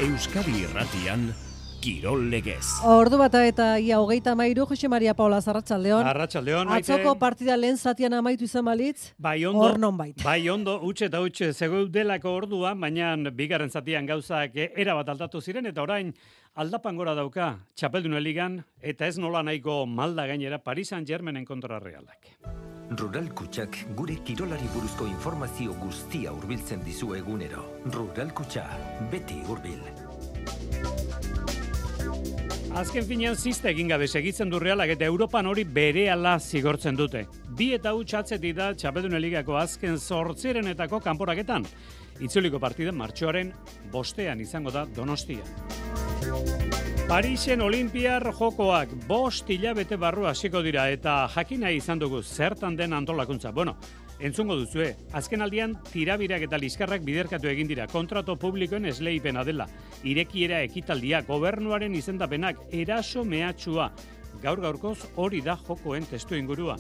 Euskadi Irratian, Kirol Legez. Ordu bata eta ia 33, Jose Maria Paula, arratsaldeon. Arratsaldeon, Maite. Atzoko partida lehen zatian amaitu izan balitz, hor nonbait. Bai ondo, utxe eta utxe zegeudelako orduan, baina bigarren zatian gauzak erabat aldatu ziren, eta orain aldapan gora dauka Txapeldun ligan, eta ez nola nahiko malda gainera Paris Saint-Germainen kontra Realak. Rural Kutxak gure kirolari buruzko informazio guztia hurbiltzen dizu egunero. Rural Kutxa, beti hurbil. Azken finean zizta egin gabe segitzen du Realak eta Europan hori berehala zigortzen dute. 2 eta huts atzetik da Txapeldun ligako azken 8 kanporaketan. Itzuliko partida martxoaren 5 izango da Donostia. Parisen Olimpiar Jokoak 5 hilabete barru hasiko dira eta jakina izan dugu zertan den antolakuntza. Bueno, entzungo duzue, azken aldian tirabirak eta liskarrak biderkatu egin dira, kontrato publikoen esleipena dela, irekiera ekitaldia, gobernuaren izendapenak, eraso mehatxua. Gaur-gaurkoz hori da jokoen testu ingurua.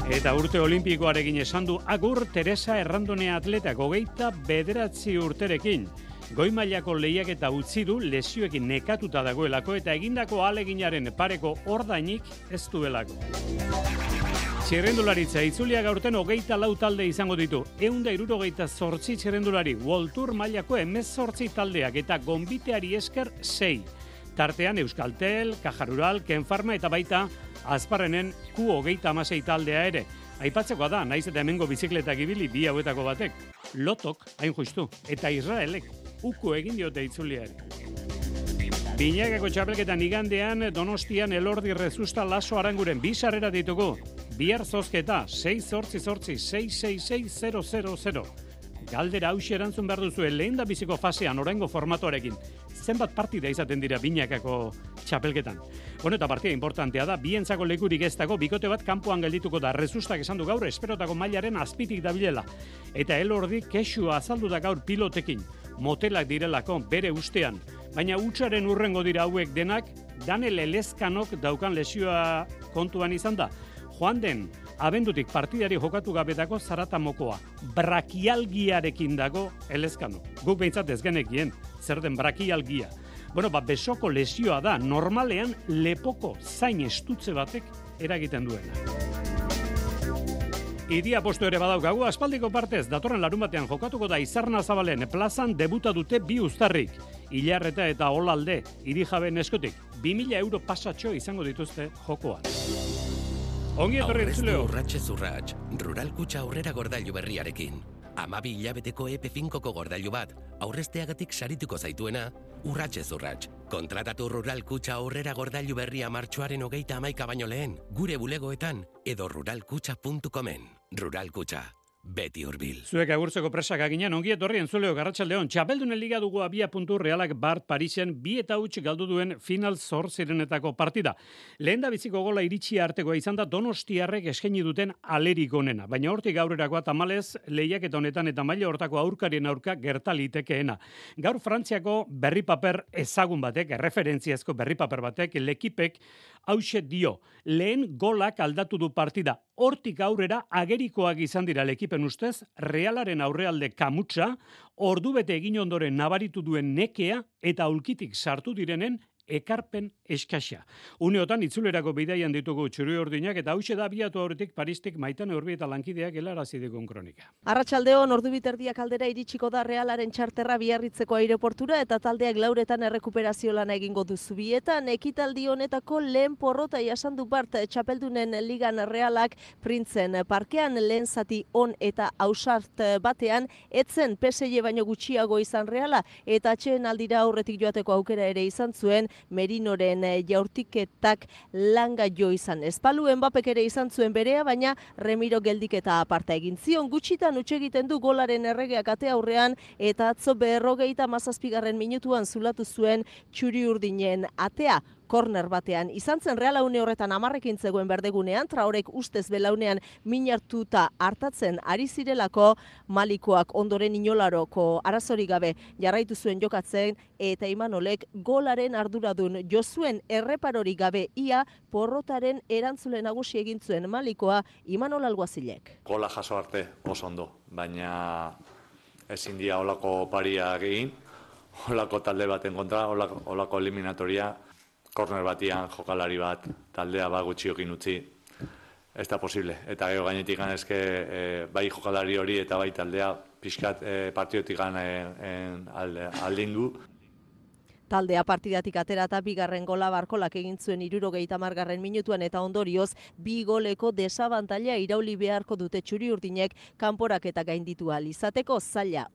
Eta urte olimpikoarekin esan du agur Teresa Errandone atletak 29 urterekin. Goi mailako lehiaketa utzi du lesioekin nekatuta dagoelako eta egindako ahaleginaren pareko ordainik ez duelako. Txirrendularitza itzuliak aurten 24 talde izango ditu. 168 txirrendulari, World Tour mailako 18 taldeak eta gonbiteari esker 6. Tartean Euskaltel, Caja Rural, Ken Pharma eta baita Azparrenen Q26 taldea ere. Aipatzekoa da, naiz eta hemengo bizikletak ibili 2 hauetako batek. Lotok, hain justu, eta Israelek uko egin diote itzuliari. Binakako txapelketan igandean Donostian Elordi Rezusta Laso Aranguren 2 sarrera ditugu. Bihar zozketa 6-8-6-6-6-0-0-0. Galdera hauxe erantzun behar duzue lehen da biziko fasean oraingo formatoarekin. Zenbat partida izaten dira binakako txapelketan. Bueno, eta partida importantea da, bientzako lekurik ez dago, bikote bat kanpoan geldituko da. Rezustak esan du gaur esperotako mailaren azpitik dabilela. Eta Elordi kexua azaldu da gaur pilotekin. Motelak direlako bere ustean. Baina hutsaren urrengo dira hauek denak, Daniel Elezkanok daukan lesioa kontuan izan da. Joan den, abendutik partidari jokatu gabetako zaratamokoa. Brakialgiarekin dago Elezkanok. Guk behintzat ez genekien, zer den brakialgia. Bueno, besoko lesioa da, normalean lepoko zain estutze batek eragiten duena. Idia postu ere badaukagu, aspaldiko partez, datorren larun batean jokatuko da Izarna Zabalen plazan debuta dute 2 uztarrik. Ilarreta eta Olalde, Irijabeen eskutik, 2.000 euro pasatxo izango dituzte jokoan. Ongi etorri entzuleo. Urratxez urratx, Rural Kutxa aurrera gordailu berriarekin. 12 hilabeteko EP5ko gordailu bat, aurrezteagatik sarituko zaituena, urratxez urratx. Kontratatu Rural Kutxa aurrera gordailu berria martxoaren 31 baino lehen, gure bulegoetan edo ruralkutxa.comen. Rural Kutxa, beti hurbil. Zuek agurtzeko presak aginen, ongi etorri entzuleo Garratsaldeon. Txapeldunen liga dugu 2 puntu Realak Bart Parisen 2 eta huts galdu duen final 8 partida. Lehen da biziko gola iritsi artekoa izan da Donostiarrek eskaini duten alerik onena. Baina hortik aurrerakoa tamalez lehiaketa honetan eta maila hortako aurkarien aurka gerta litekeena. Gaur Frantziako berri paper ezagun batek, erreferentziazko berri paper batek, lekipek hauxe dio. Lehen golak aldatu du partida. Hortik aurrera agerikoak izan dira lekipen ustez, Realaren aurrealde kamutsa, ordubete egin ondoren nabaritu duen nekea eta aulkitik sartu direnen ekarpen eskaxa. Uneotan itzulerako bidaian ditugu Txuri Urdinak eta hauxe da abiatu aurretik Paristik Maitane Urbi eta lankideak helarazi digun kronika. Arratsaldeon ordu biterdiak aldera iritsiko da Realaren txarterra Biarritzeko aireportura eta taldeak lauretan errekuperazio lana egingo du Zubietan. Ekitaldi honetako lehen porrota jasandu Bart Txapeldunen ligan Realak Printzen parkean lehen zati on eta ausart batean etzen PSG baino gutxiago izan Reala eta atxeen aldira aurretik joateko aukera ere izan zuen Merinoren jaurtiketak langa jo izan. Espalu Mbappek ere izan zuen berea, baina Remiro geldiketa aparta egin zion. Gutxitan utxe egiten du golaren erregeak ate aurrean eta atzo 57. minutuan zulatu zuen Txuri Urdinen atea. Korner batean. Izan zen Reala une horretan 10ekin zegoen berdegunean, Traorek ustez belaunean minartuta hartatzen ari zirelako, Malikoak ondoren inolaroko arazorik gabe jarraitu zuen jokatzen eta Imanolek golaren arduradun Josuen erreparorik gabe ia porrotaren erantzule nagusi egin zuen Malikoa Imanol Alguazilek. Gola jaso arte oso ondo, baina ezin dira holako pariak egin. olako talde baten kontra, olako eliminatoria, korner batian jokalari bat, taldea gutxiokin utzi, ez da posible. Eta gero gainetik ganezke bai jokalari hori eta bai taldea pixkat partiotik aldindu. Taldea partidatik atera eta bigarren gola Barkolak egin zuen 70. minutuan eta ondorioz 2 goleko desabantaila irauli beharko dute txuri-urdinek kanporak eta gainditu ahal izateko.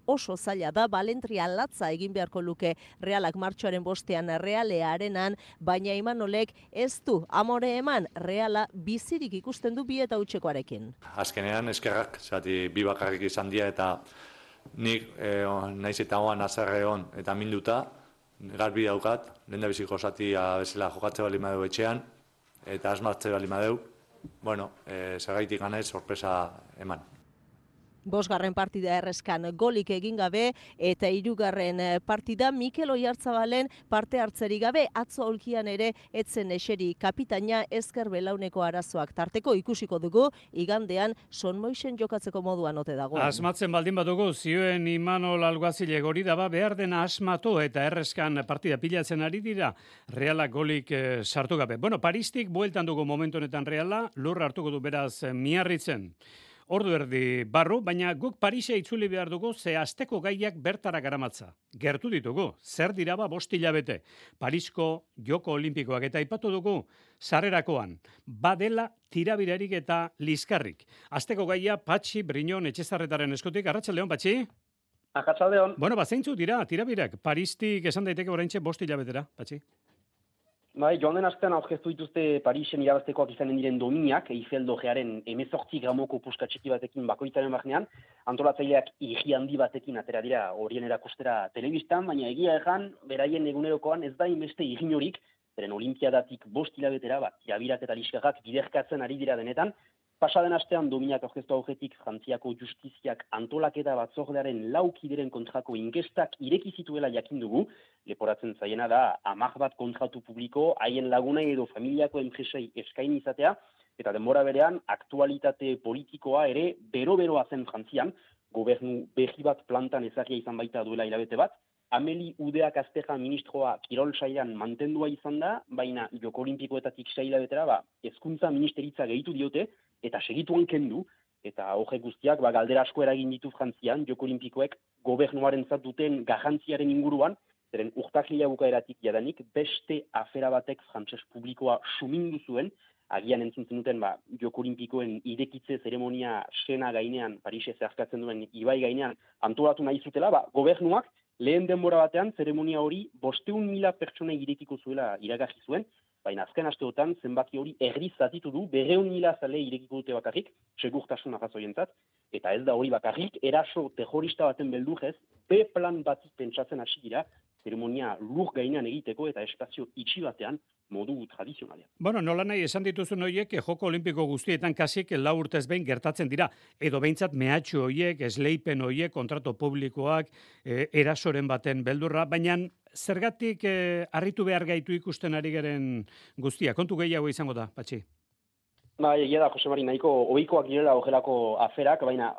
Oso zaila da, balentria latza egin beharko luke Realak martxoaren 5ean Realea arenan, baina Imanolek ez du amore eman, Reala bizirik ikusten du 2-0 Azkenean eskerrak, zati 2 bakarrik izan dira eta nik naiz eta hoan azarre hon eta minduta, garbi daukat, lehendabiziko zatia bezala jokatze bali madeu etxean, eta asmatze bali madeu, zergaitik ganez sorpresa eman. 5. partida erreskan golik egin gabe eta 3. partida Mikel Oiartzabalen parte hartzerik gabe, atzo olkian ere etzen eseri kapitaina ezker belauneko arazoak tarteko ikusiko dugu, igandean Son Moixen jokatzeko moduan ote dagoen. Asmatzen baldin badugu, zioen Imanol Alguazile gori daba behar dena asmatu eta erreskan partida pilatzen ari dira, Realak golik sartu gabe. Paristik bueltan dugu momentu honetan Reala, lurra hartuko du beraz Miarritzen. Ordu erdi barru, baina guk Parisa itzuli behar dugu ze asteko gaiak bertara garamatza. Gertu ditugu, zer dira 5 hilabete. Parisko Joko Olimpikoak eta aipatu dugu sarrerakoan. Badela tirabirarik eta liskarrik. Asteko gaia Patxi Briñon Etxezarretaren eskutik. Arratsaldeon, Patxi? Arratsaldeon. Zeintzu dira tirabirak? Paristik esan daiteke oraintxe 5 hilabetera, Patxi? Bai, joan den astean aurkeztu dituzte Parisen irabaztekoak izanen diren dominak, Eiffel Dogearen 18 gramoko puska txiki batekin bakoitzaren barnean, antolatzaileak igi handi batekin atera dira horien erakustera telebistan, baina egia egan, beraien egunerokoan ez da inbeste iginorik, beren olimpiadatik 5 hilabetera, tirabirak eta liskarrak biderkatzen ari dira denetan. Pasaden astean dominak aurkeztu aurretik Frantziako justiziak antolaketa batzordearen 4 kideren kontrako inkestak ireki zituela jakin dugu. Leporatzen zaiena da 10 bat kontratu publiko haien lagunei edo familiako enpresei eskaini izatea, eta denbora berean aktualitate politikoa ere bero-beroa zen Frantzian, gobernu berri bat plantan ezagia izan baita duela hilabete bat. Ameli Udeak Azteja ministroa kirol sailan mantendua izan da, baina Joko Olimpikoetatik 6 hilabetera hezkuntza ministeritza gehitu diote, eta segituan kendu, eta horrek guztiak galdera asko eragin ditu Frantzian, Joko Olimpikoek gobernuarentzat duten garrantziaren inguruan, zeren urtarrila bukaeratik jadanik beste afera batek frantses publikoa sumindu zuen, agian entzun zenuten Joko Olimpikoen irekitze zeremonia sena gainean, Parise zeharkatzen duen ibai gainean, antolatu nahi zutela, gobernuak lehen denbora batean zeremonia hori 500.000 pertsonei irekiko zuela iragarri zuen, baina azken asteotan zenbaki hori erdi zatitu du, 200.000 zale irekiko dute bakarrik, segurtasun arrazoientzat, eta ez da hori bakarrik, eraso terrorista baten beldurrez, B-plan batik pentsatzen hasi dira, zeremonia lur gainean egiteko eta espazio itxi batean modu tradizionalean. Nola nahi esan dituzun horiek Joko Olimpiko guztietan kasik 4 urtez behin gertatzen dira, edo behintzat mehatxu horiek, esleipen horiek, kontratu publikoak, erasoren baten beldurra, baina zergatik harritu behar gaitu ikusten ari garen guztia? Kontu gehiago izango da, Patxi? Egia da, Jose Mari, nahiko ohikoak direla horrelako aferak, baina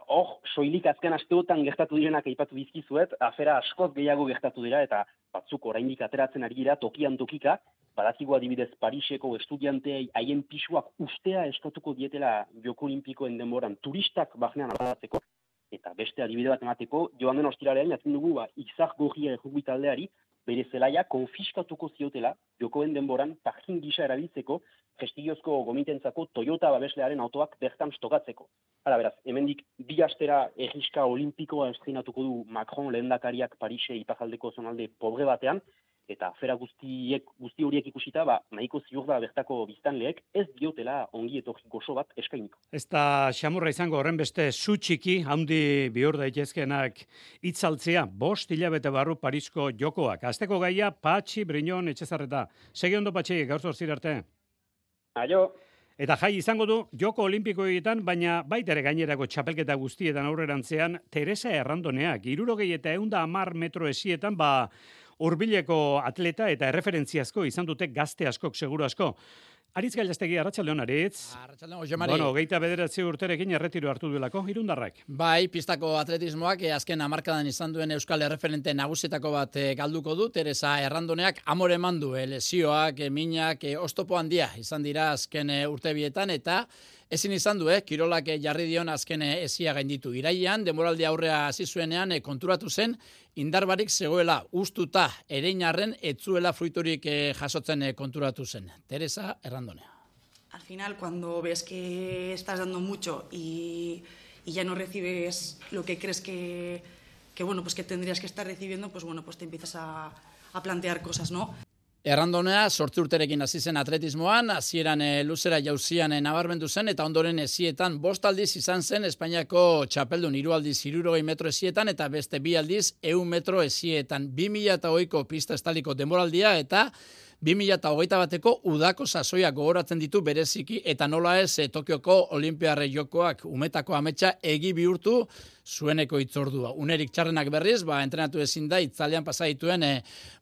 soilik azken asteotan gertatu direnak aipatu dizkizuet, afera askoz gehiago gertatu dira, eta batzuk oraindik ateratzen ari dira tokian tokika, badakigu adibidez Pariseko estudianteei haien pisuak ustea eskatuko dietela Joko Olimpikoen denboran turistak barnean aldatzeko, eta beste adibide bat emateko, joan den ostiralean jakin dugu Izar Gorria errugbi taldeari bere zelaia konfiskatuko ziotela Jokoen denboran parking gisa erabiltzeko prestigiozko gomitentzako Toyota babeslearen autoak bertan stokatzeko. Hala beraz, hemendik 2 astera erriska olimpikoa estreinatuko du Macron lehendakariak Parise iparraldeko zonalde pobre batean, eta afera guzti horiek ikusita, nahiko ziur da bertako biztanleek ez diotela ongi etorri gozo bat eskainiko. Ez da xamurra izango horren beste zu txiki, handi bihur daitezkenak itzaltzea, 5 hilabete barru Parisko jokoak. Asteko gaia Patxi Briñon Etxezarreta. Segi ondo, Patxi, gaur zorzir arte. Aio. Eta jai izango du Joko Olimpikoetan, baina baita ere gainerako txapelketa guztietan aurrerantzean Teresa Errandoneak, 60 eta 110 metro esietan, hurbileko atleta eta erreferentziazko izan dute gazte askok seguru asko. Aritz Gailastegi, arratsaldeon, Aritz. Arratsaldeon, Jose Mari. Bueno, 29 urterekin erretiro hartu duelako, irundarrak. Bai, pistako atletismoak azken hamarkadan izan duen euskal erreferente nagusietako bat galduko du. Teresa Errandoneak amore eman du, lesioak, minak, oztopo handia izan dira azken urtebietan, eta ezin izan du, kirolak jarri dion azken ezia gainditu. Irailean, denboraldi aurrea hasi zuenean konturatu zen, indarbarik zegoela ustuta ereinarren etzuela fruiturik jasotzen konturatu zen. Teresa Errandonea. Al final, cuando ves que estás dando mucho y ya no recibes lo que crees que bueno, pues que tendrías que estar recibiendo, pues bueno, pues te empiezas a plantear cosas, ¿no? Errandonea 8 urterekin hasi zen atletismoan, hasieran luzera jauzian nabarmendu zen, eta ondoren ezietan 5 aldiz izan zen Espainiako txapeldun, 3 aldiz 60 metro ezietan, eta beste 2 aldiz 100 metro ezietan. 2008ko pista estaliko denboraldia, eta 2021 bateko udako sasoia gogoratzen ditu bereziki, eta nola ez Tokioko Olinpiarre jokoak umetako ametsa egi bihurtu zueneko itzordua. Unerik txarrenak berriz, entrenatu ezin da, itzalean pasa dituen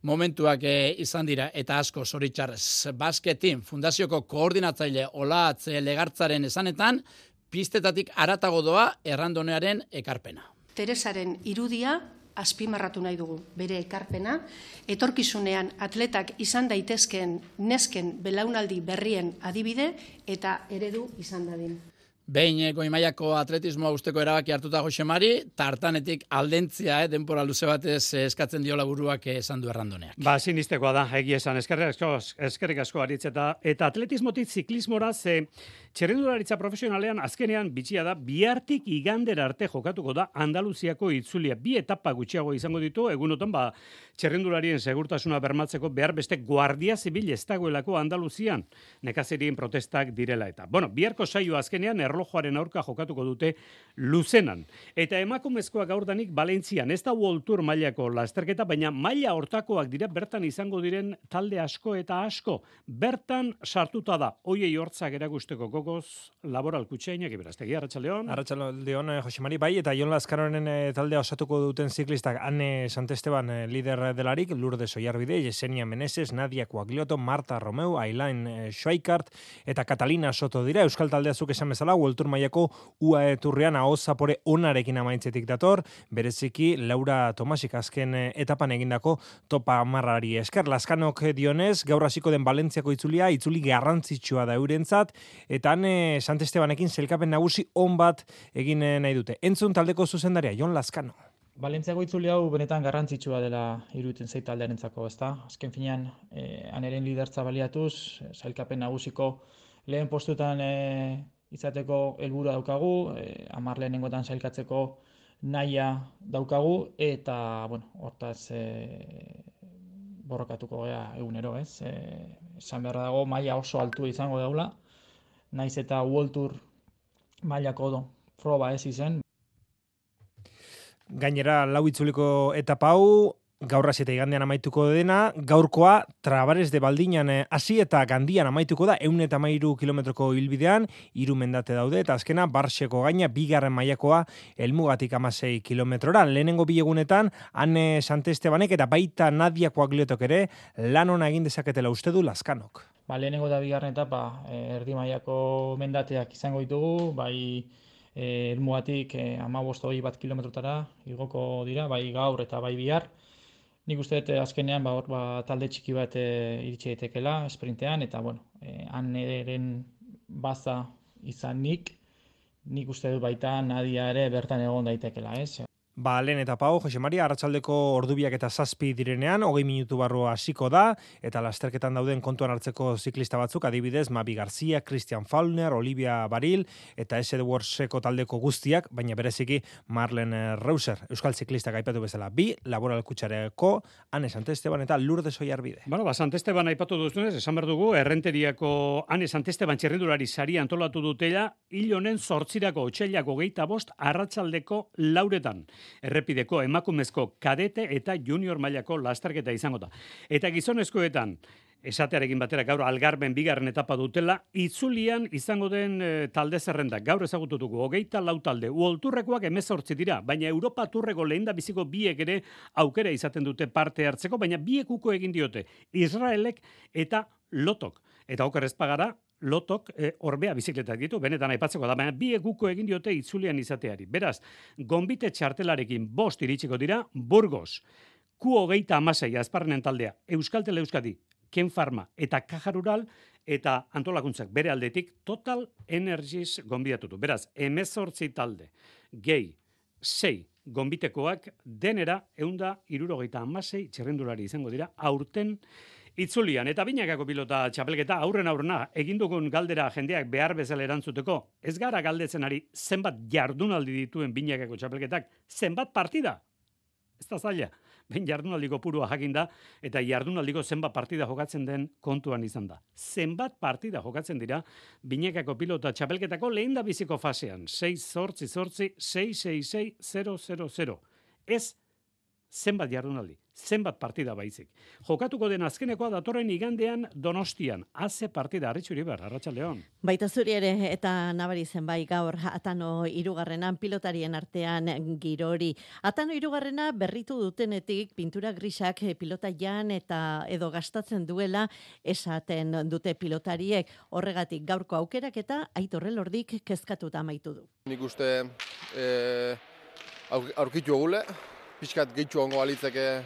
momentuak izan dira, eta asko zoritxarrez. Basketin fundazioko koordinatzaile Olatz Legartzaren esanetan, pistetatik haratago doa Errandonearen ekarpena. Teresaren irudia azpimarratu nahi dugu, bere ekarpena, etorkizunean atletak izan daitezkeen nesken belaunaldi berrien adibide eta eredu izan dadin. Behin goi-mailako atletismoa usteko erabaki hartuta Jose Mari, tartanetik aldentzia denbora luze batez eskatzen diola buruak esan du Errandoneak. Sinistekoa da, egia esan, eskerrik asko Aritz, eta atletismotik ziklismora txerrendularitza profesionalean azkenean bitxia da, bihartik igandera arte jokatuko da Andaluziako itzulia. 2 etapa gutxiago izango ditu, egunotan txerrendularien segurtasuna bermatzeko behar beste guardia zibil ez dagoelako Andaluzian, nekazerien protestak direla eta. Biharko saio azkenean erlojoaren aurka jokatuko dute Luzenan. Eta emakumezkoak gaurdanik Valentzian, ez da World Tour mailako lasterketa, baina maila hortakoak dira bertan izango diren talde asko eta asko. Bertan sartuta da, hoiei hortzak erakusteko gogoz, Laboral Kutxainak Iberaztegi, arratsaldeon. Arratsaldeon, Jose Mari, bai, eta Jon Lazkaroren taldea osatuko duten ziklistak Anne Santesteban lider delarik, Lourdes Oiarbide, Yesenia Meneses, Nadia Coaglioto, Marta Romeu, Ailain Schweikart eta Catalina Soto dira. Euskal taldea zuk esan bezala, World Tour mailako UAE Turrean ahoz zapore onarekin amaitzetik dator, bereziki Laura Tomasik azken etapan egindako topa marrari esker. Lazkanok dionez, gaur hasiko den Valentziako itzulia, itzuli garrantzitsua da eurentzat, eta han Santestebanekin zelkapen nagusi on bat egin nahi dute. Entzun taldeko zuzendaria, Jon Lazkano. Valentziako itzuli hau benetan garrantzitsua dela iruditzen zait taldearentzako, ezta? Azken finean, aneren lidertza baliatuz, sailkapen nagusiko lehen postutan izateko helburua daukagu, 10 lehenengotan sailkatzeko nahia daukagu, eta, hortaz borrokatuko gea egunero, ez? Esan beharra dago, maila oso altua izango daula, naiz eta World Tour mailako proba ez izen. Gainera, 4 itzuliko etapa hau, gaur hasi eta igandean amaituko dena, gaurkoa Trabares de Baldinan hasi eta Gandian amaituko da, 113 kilometroko hilbidean, 3 mendate daude, eta azkena Barseko gaina, 2. mailakoa helmugatik 16 kilometrora. Lehenengo 2 egunetan, Anne Santestebanek eta baita Nadia Coagliotok ere, lan ona egin dezaketela uste du Lazkanok. Lehenengo eta 2. etapa, erdi mailako mendateak izango ditugu, bai helmugatik 15-20 kilometrotara igoko dira, bai gaur eta bai bihar. Nik uste dut azkenean talde txiki bat iritsi daitekela esprintean, eta Anneren baza izan nik uste dut baita Nadia ere bertan egon daitekela, ez? Lehen etapa hau, Jose Mari, arratsaldeko ordubiak eta 7 direnean, 20 minutu barru hasiko da, eta lasterketan dauden kontuan hartzeko ziklista batzuk, adibidez, Mavi Garcia, Christian Faulner, Olivia Baril, eta Edwardseko taldeko guztiak, baina bereziki Marlene Reuser, euskal ziklistak aipatu bezala, 2, Laboral Kutxareko, Anne Santesteban eta Lourdes Oiarbide. Santesteban aipatu duzunez, esan behar dugu, Errenteriako Anne Santesteban txerrendulari sari antolatu dutela, hil honen 8 otsailako 25 arratsaldeko 4. Errepideko emakumezko kadete eta junior mailako lasterketa izango da. Eta gizonezkoetan, esatearekin batera gaur Algarben 2. etapa dutela, itzulian izango den talde zerrenda. Gaur ezagututuko 24 talde. World Tourrekoak 18 dira, baina Europa Tourreko lehendabiziko 2 ere aukera izaten dute parte hartzeko, baina 2 uko egin diote. Israelek eta Lotok. Eta oker ez pagara, Lotok orbea bizikletak ditu, benetan aipatzeko da, baina bi eguko egin diote itzulian izateari. Beraz, gonbite txartelarekin 5 iritsiko dira, Burgos, Q26 Azparrenen taldea, Euskaltel Euskadi, Ken Pharma eta Caja Rural eta antolakuntzak bere aldetik Total Energies gonbidatutu. Beraz, 18 talde, gehi, 6 gonbitekoak denera 176 txirrindulari izango dira aurten itzulian. Eta binakako pilota txapelketa aurrena egin dugun galdera jendeak behar bezala erantzuteko. Ez gara galdetzen ari zenbat jardunaldi dituen binakako txapelketak, zenbat partida? Ez da zaila. Ben jardunaldiko purua jakinda eta jardunaldiko zenbat partida jokatzen den kontuan izan da. Zenbat partida jokatzen dira binakako pilota txapelketako lehen da biziko fasean. 6-8-6-6-6-0-0-0. Ez zenbat jardunaldi, zenbat partida baizik. Jokatuko den azkenekoa datorren igandean Donostian. Haze partida, Arritxu Iribar, Arratsaldeon. Baita zuri ere eta nabari zen bai gaur Atano 3. pilotarien artean girori. Atano 3. berritu dutenetik pintura grisak pilota jan eta edo gastatzen duela esaten dute pilotariek. Horregatik gaurko aukerak eta Aitor Elordik kezkatuta amaitu du. Nik uste aurkitu egule, pixkat gehitxu ongo balitzeke,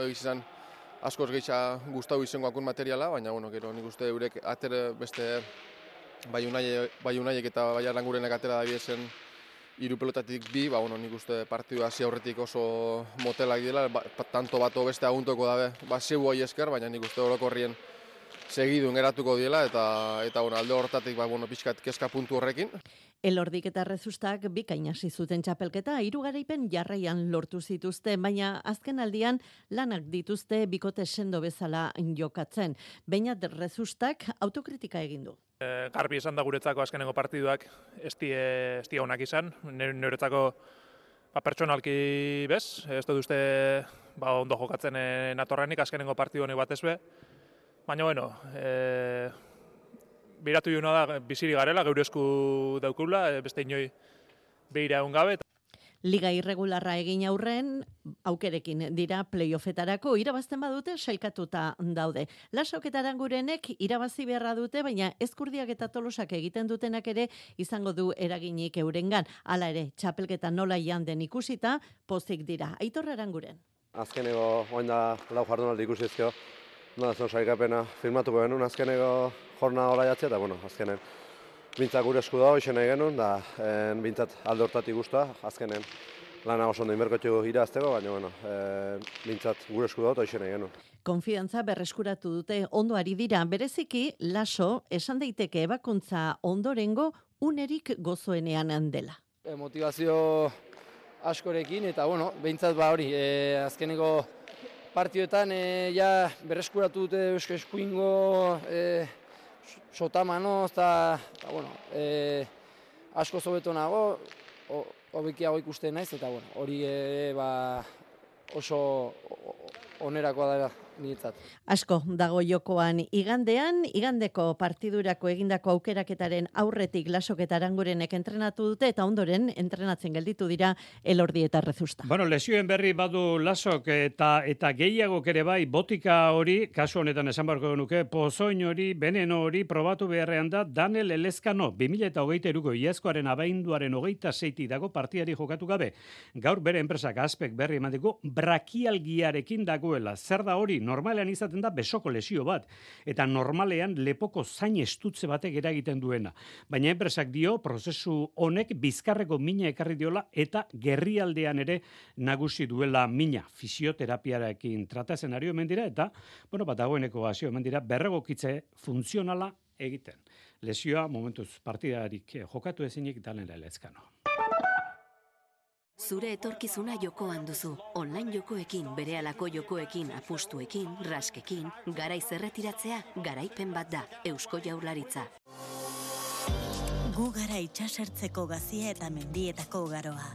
egizan askoz gehitxa gustau izango akun materiala, baina gero nik uste eurek ater beste bai unaiek eta bai arlangurenek atera da biezen 3 pelotatik 2, nik uste partidu hasi aurretik oso motelak dela, tanto bato beste aguntoko dabe, zeu hoi esker, baina nik uste orokorrien segidun geratuko diela, eta alde horretatik pixkat kezka puntu horrekin. Elordik eta Rezustak bikain hasi zuten txapelketa, 3 garaipen jarraian lortu zituzte, baina azken aldian lanak dituzte bikote sendo bezala jokatzen. Beinat Rezustak autokritika egin du. Garbi esan da guretzako azkenengo partiduak ez die onak izan, niretzako pertsonalki bez, ez dut uste ondo jokatzen natorrenik azkenengo partidu honi batez be, baina biratu juna da biziri garela, geure esku daukula, beste inoi behira egun gabe. Liga irregularra egin aurren, aukerekin dira playoffetarako, irabazten badute sailkatuta daude. Lasok eta Arangurenek irabazi beharra dute, baina Ezkurdiak eta Tolosak egiten dutenak ere izango du eraginik eurengan. Hala ere, txapelketa nola janden ikusita, pozik dira. Aitor Aranguren. Azkeneko, oin da lau jardunaldi ikusizkio, zon sailkapena firmatuko genuen azkeneko jorna hola jatzea, eta azkenen bintzak gure esku dago izan nahi genuen, da bintzat alde hortatik guztua, azkenen lana oso ondo inberkotxeko irazteko, baina bintzat gure esku dago eta izan nahi genuen. Konfidantza berreskuratu dute ondo ari dira, bereziki Laso esan daiteke ebakuntza ondorengo unerik gozoenean dela. Motivazio askorekin eta bintzat hori, azkeneko partioetan ja berreskuratu dute eusko eskuingo sotamanoz eta asko zobeto nago, hobekiago ikusten naiz eta hori oso onerakoa da niretzat. Asko dago jokoan igandeko partidurako egindako aukeraketaren aurretik Lasok eta Arangurenek entrenatu dute eta ondoren entrenatzen gelditu dira Elordi eta Rezusta. Lesioen berri badu Lasok eta gehiagok ere bai botika hori, kasu honetan esan barko genuke, pozoin hori, veneno hori probatu beharrean da Daniel Elezkano 2023ko iazkoaren abainduaren 26 dago partidari jokatu gabe. Gaur bere enpresak Aspek berri emateko brakialgiarekin dagoela. Zer da hori? Normalean izaten da besoko lesio bat, eta normalean lepoko zain estutze batek eragiten duena. Baina enpresak dio, prozesu honek bizkarreko mina ekarri diola, eta gerrialdean ere nagusi duela mina. Fisioterapiarekin tratatzen ari omen dira, eta, dagoeneko hasio omen dira, berregokitze funtzionala egiten. Lesioa, momentuz partidarik jokatu ezinik Daniel Elezkano. Zure etorkizuna jokoan duzu. Online jokoekin, berehalako jokoekin, apustuekin, raskekin, garaiz erretiratzea, garaipen bat da. Eusko Jaurlaritza. Gu gara itsasertzeko gazia eta mendietako garoa.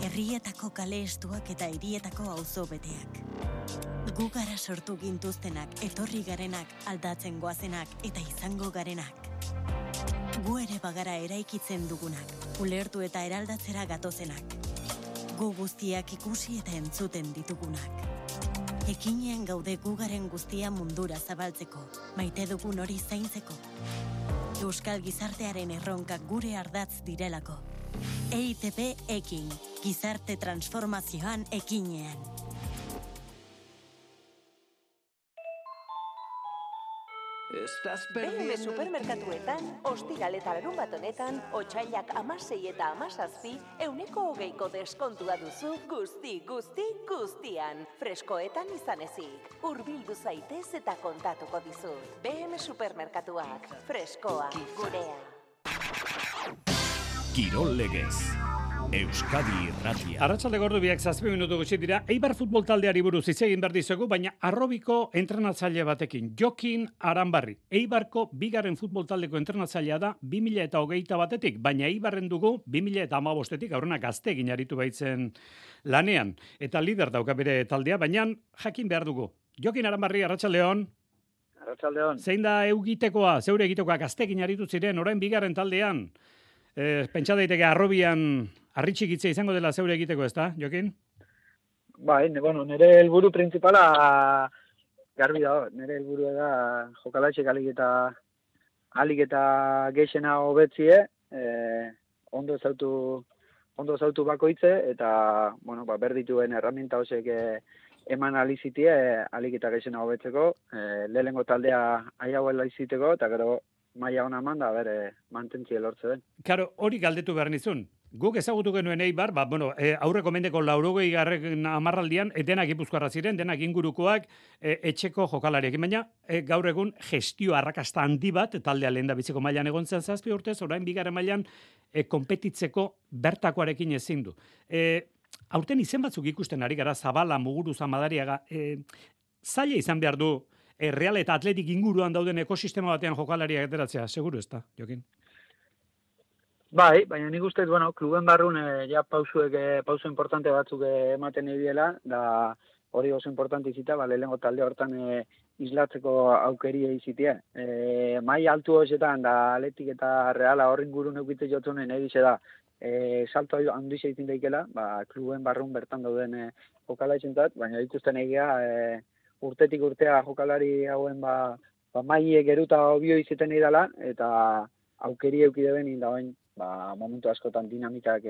Herrietako kale estuak eta hirietako auzo beteak. Gu gara sortu gintuztenak, etorri garenak, aldatzen goazenak eta izango garenak. Gu ere bagara eraikitzen dugunak, ulertu eta eraldatzera gatozenak. Gu guztiak ikusi eta entzuten ditugunak. Ekinean gaude gugaren guztia mundura zabaltzeko, maite dugun hori zaintzeko. Euskal gizartearen erronkak gure ardatz direlako. EITB ekin, gizarte transformazioan ekinean. BM supermerkatuetan, ostiral eta larunbat honetan, otsailak 16 eta 17, 20% deskontua duzu guztian. Freskoetan izan ezik. Hurbildu zaitez eta kontatuko dizut. BM supermerkatuak, freskoa, gurea. Kirol Legez. Euskadi Irratia. Arratsalde gordu biak 7 minutu gutxi dira. Eibar futbol taldeari buruz hitz egin behar dizuegu, baina arrobiko entrenatzaile batekin, Jokin Aranbarri. Eibarko bigarren futbol taldeko entrenatzailea da 2021etik, baina Eibarren dugu 2015etik aurrena gazte egin aritu baitzen lanean. Eta lider dauka bere taldea, baina jakin behar dugu. Jokin Aranbarri, arratsaldeon. Arratsaldeon. Zein da eugitekoa, zeure egitekoa gazte egin aritu ziren, orain bigarren taldean? Pentsa daiteke arrobian arritxikitzea izango dela zeure egiteko, ezta, Jokin? Bai, nire helburu principala garbi da, nire helburu da jokalatxek alik eta geixena hobetzie, ondo zautu bakoitze, eta, berdituen herramienta hosek eman alizitie, alik eta geixena hobetzeko, lehenengo taldea aiauela iziteko, eta gero maila hona eman da, mantentzie lortze den. Karo, hori galdetu behar nizun. Guk ezagutu genuen Eibar, aurreko mendeko 80. hamarraldian, denak Gipuzkoarra ziren, denak ingurukoak, etxeko jokalariak. Baina, gaur egun gestio arrakasta handi bat, taldea lehen da biziko mailan egon zen 7 urtez, orain bigarren mailan konpetitzeko bertakoarekin ezin du. Aurten izen batzuk ikusten ari gara, Zabala, Muguruza, Madariaga, zaila izan behar du, Real eta Atletik inguruan dauden ekosistema batean jokalariak ateratzea, seguru ez da, Jokin? Bai, baina nik uste, kluben barrun ja pauso importante batzuk ematen ebiela, da hori oso importante izita, lehenengo talde hortan islatzeko aukeria izitia. Mai altu hoxetan, da Atletik eta Reala horren guru neukitze jotzunen egize da, salto handu izaitin daikela, kluben barrun bertan dauden jokalaizentzat, baina ikusten egia, urtetik urtea jokalari hauen maile geruta obio izeten idala, eta aukeri eukide benin da bain, momentu askotan dinamikak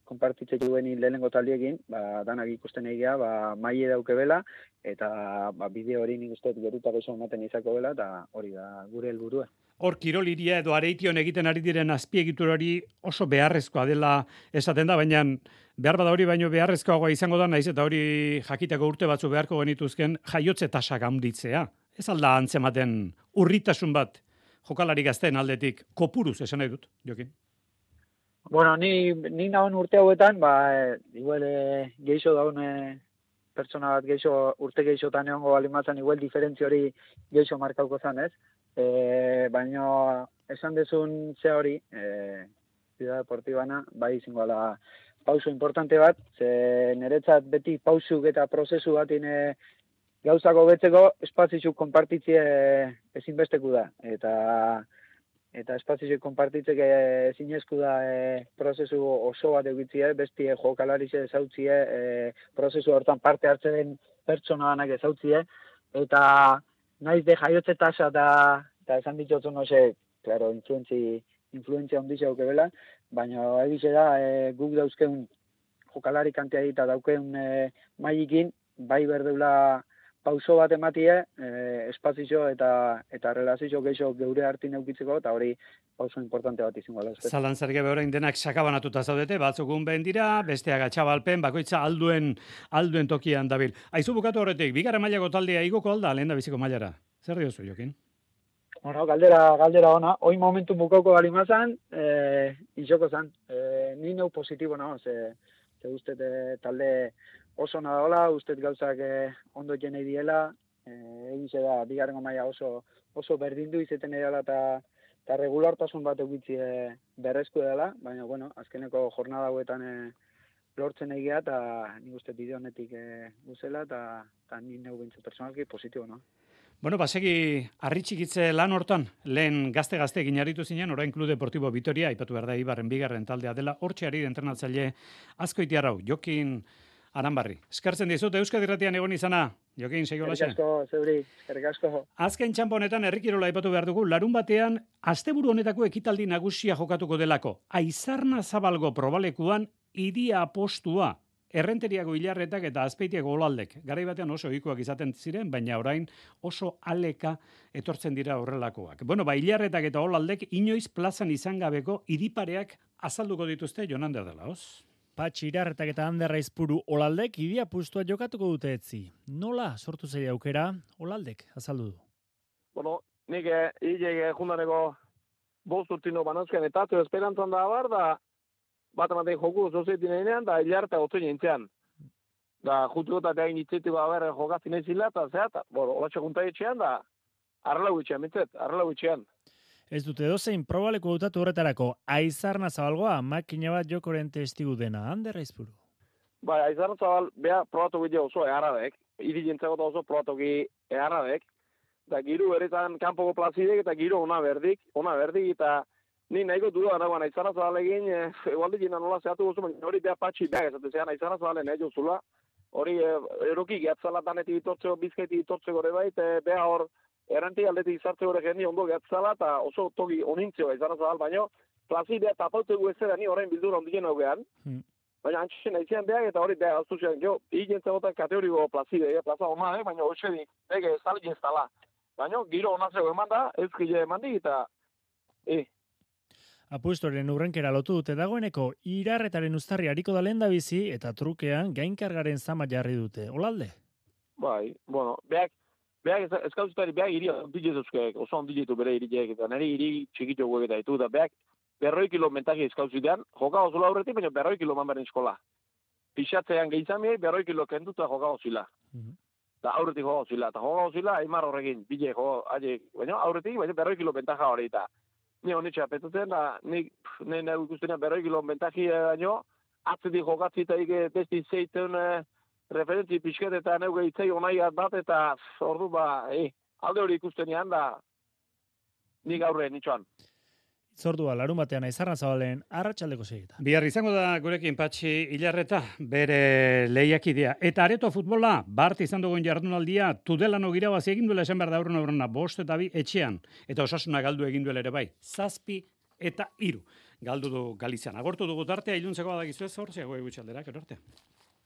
konpartitzeko duen lehenengo taldiekin, danak ikusten egia, maile dauke bela, eta bideo hori nik uste geruta beso ematen izako bela, eta hori da gure helburua. Hor, kiroliria edo areition egiten ari diren azpiegitura hori oso beharrezkoa dela esaten da, baina behar bada hori baino beharrezkoagoa izango da, naiz eta hori jakiteko urte batzu beharko genituzken jaiotze tasak handitzea. Ez alda antzematen urritasun bat jokalari gazteen aldetik kopuruz esan nahi dut, Jokin? Ni nagoen urte hauetan, igual geixo daun pertsona bat urte geixotan egongo balimatzen, igual diferentzio hori geixo markauko zan, ez? Baina esan dezun ze hori, Ciudad Deportibana, bai izango da pauso importante bat, ze niretzat beti pausuk eta prozesu batin gauzako betzeko espazizuk konpartitzie ezinbesteku da. Eta espazizuk konpartitzeke ezinezku da prozesu oso bat egitzie, besti jokalarize ezautzie, prozesu hortan parte hartzen den pertsona danak ezautzie, eta naiz de jaiotze tasa eta esan ditotzen hoxe, claro, influentzia ondizia auke bela, baina egize da guk dauzkeun jokalari kantia eta daukeun mailekin, bai berdeula pauso bat ematie, espazio eta relazio geixo geure hartin eukitzeko, eta hori pauso importante bat izango da. Zalantzarik gabe orain denak sakabanatuta zaudete, batzukun behin dira, besteak atxabalpen, bakoitza alduen tokian dabil. Aizu bukatu horretik, bigarren mailako taldea igoko alda, lehen da biziko mailara. Zer diozu, Jokin? Galdera ona. Hoi momentu bukauko balimazan, izoko zan. Ni neu positibo nago, ze uste talde oso nadaola, uste gauzak ondo jenei diela, egize da, bigarrengo maila oso berdindu izeten edala eta regulartasun bat egitzi berrezko dela, baina, azkeneko jornada hauetan lortzen egia, eta nik uste bide honetik guzela, eta ni neu bintzu personalki positibo, no? Basegi arritxikitze lan hortan, lehen gazte egin aritu zinen, orain Club Deportivo Vitoria, aipatu behar da Eibarren bigarren taldea dela, hortxe ari entrenatzaile Azkoitiarrau, Jokin Aranbarri. Eskertzen dizut, Euskadi Irratian egon izana, Jokin, segi holaxe. Eskerrik asko, zeuri, eskerrik asko. Azken txanpo honetan herrikirola aipatu behar dugu, larun batean, asteburu honetako ekitaldi nagusia jokatuko delako. Aizarna Zabalgo probalekuan iria apostua. Errenteriako Ilarretak eta Azpeitiako Olaldek. Garai batean oso ohikoak izaten ziren, baina orain oso aleka etortzen dira horrelakoak. Bueno, Ilarretak eta Olaldek inoiz plazan izan gabeko iripareak azalduko dituzte Jonander dela, hoz? Patxi Ilarretak eta Ander Aizpuru Olaldek iria apustua jokatuko dute etzi. Nola sortu zei aukera Olaldek azaldu du? Bueno, nik hilek jundaneko 5 urtino banazken eta esperantzan da bar, da bat ematen joku zozetin eginean, da Ilarreta otzen jentzean. Da, jutu eta behain itzetik jokazin ezila, eta zehat, olatxe junta etxean, da, arrelau etxean, mitzet, arrelau etxean. Ez dute dozein probaleko dutatu horretarako, Aizarna Zabalgoa, makina bat jokoren testigu dena, Ander Aizpuru. Bai, Aizarna Zabal, beha probatu gide oso eharradek, hiri jentzeko oso probatu gide eharradek, da giru eretan kanpoko plazidek, eta giru ona berdik, eta ni nahiko duda nagoan Aizarna Zabalegin, egualdi jena nola zehatu gozu, hori beha patxi beha ezaten zean, Aizarna Zabalen nahi jozula, hori eroki gehatzala danetik itortzeko, bizkaitik itortzeko ere bait, beha hor, erranti aldetik izartze gore jendi ondo gehatzala, eta oso togi onintzio Aizarna Zabal, baina plazi beha tapautegu ezera ni orain bildura ondien augean, baina antxen aizian behak, eta hori beha aztu zian, jo, higientzagotan kategoriko plazi beha, plaza ona, baina hoxe ege zali jeztala. Baina giro onatzeko eman da, ezkile eman di, eta Apustoren urrenkera lotu dute dagoeneko, Ilarretaren uztarri hariko da lehendabizi eta trukean gainkargaren zama jarri dute. Olalde? Bai, bueno, beak eskauzutari beak iria ondilezuzkeek, oso ondiletu bere iriek, eta nire iri txikitxo guek eta ditu, da beak 100 kilo mentaki eskauzutean, joka ozula horretik, baina 100 kilo manbaren eskola. Pixatzean gehitzamiei 100 kilo kenduta joka ozila. Da aurretik joka ozila, eta joka ozila, aimar horrekin, bile joka, baina aurretik, baina 100 kilo bentaja hori eta. Ni honetxe apetatzen, da, nik ikustenean 100 kilo bentaji baino, atzetik jokatzita testi zeiten referentzi pixket eta neuge itzei onaiat bat, eta ordu alde hori ikustenean, da, nik aurre nitxoan. Itzordua, larun batean Aizarna Zabalen arratsaldeko segita. Bihar izango da gurekin Patxi Ilarreta, bere lehiakidea. Eta areto futbola, bart izan dugun jardunaldia, Tudelano irabazi egin duela esan behar da aurrena, 5 eta 2 etxean. Eta Osasuna galdu egin duela ere bai. 7 eta 3. Galdu du Galizian. Agortu dugu tartea, iluntzeko badakizu ez, hor, ziago egutxalderak, erorte.